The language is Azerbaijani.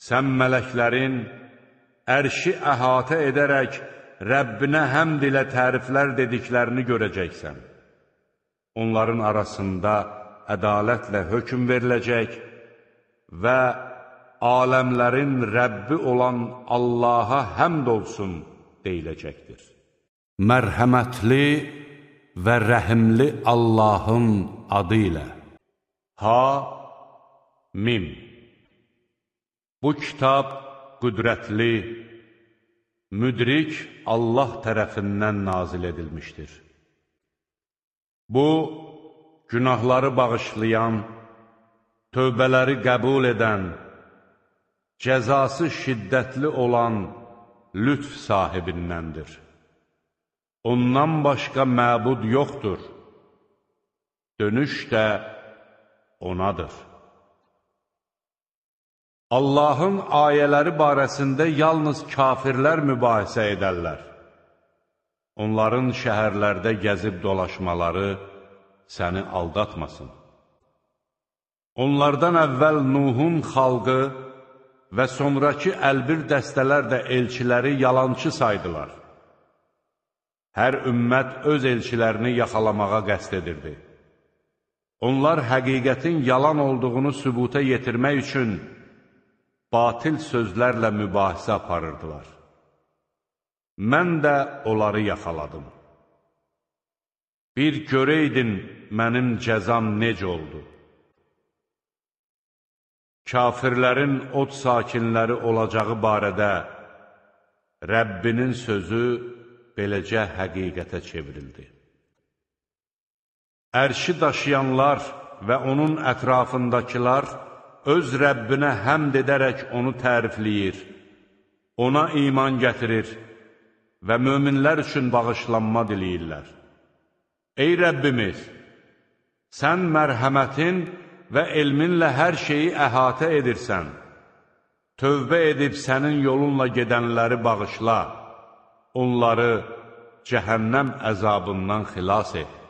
Sən mələklərin ərşi əhatə edərək Rəbbinə həmd ilə təriflər dediklərini görəcəksən. Onların arasında ədalətlə hökm veriləcək və aləmlərin Rəbbi olan Allaha həmd olsun deyiləcəkdir. Mərhəmətli və rəhimli Allahın adı ilə. Ha-Mim. Bu kitab qüdrətli, müdrik Allah tərəfindən nazil edilmişdir. Bu, günahları bağışlayan, tövbələri qəbul edən, cəzası şiddətli olan lütf sahibindəndir. Ondan başqa məbud yoxdur. Dönüş də onadır. Allahın ayələri barəsində yalnız kafirlər mübahisə edərlər. Onların şəhərlərdə gəzib dolaşmaları səni aldatmasın. Onlardan əvvəl Nuhun xalqı və sonraki əlbir dəstələr də elçiləri yalançı saydılar. Hər ümmət öz elçilərini yaxalamağa qəsd edirdi. Onlar həqiqətin yalan olduğunu sübuta yetirmək üçün batil sözlərlə mübahisə aparırdılar. Mən də onları yaxaladım. Bir görəydin mənim cəzam necə oldu. Kafirlərin od sakinləri olacağı barədə Rəbbinin sözü beləcə həqiqətə çevrildi. Ərşi daşıyanlar və onun ətrafındakılar öz Rəbbinə həmd edərək onu tərifləyir, ona iman gətirir və möminlər üçün bağışlanma diləyirlər. Ey Rəbbimiz, sən mərhəmətin və elminlə hər şeyi əhatə edirsən. Tövbə edib sənin yolunla gedənləri bağışla, onları cəhənnəm əzabından xilas et.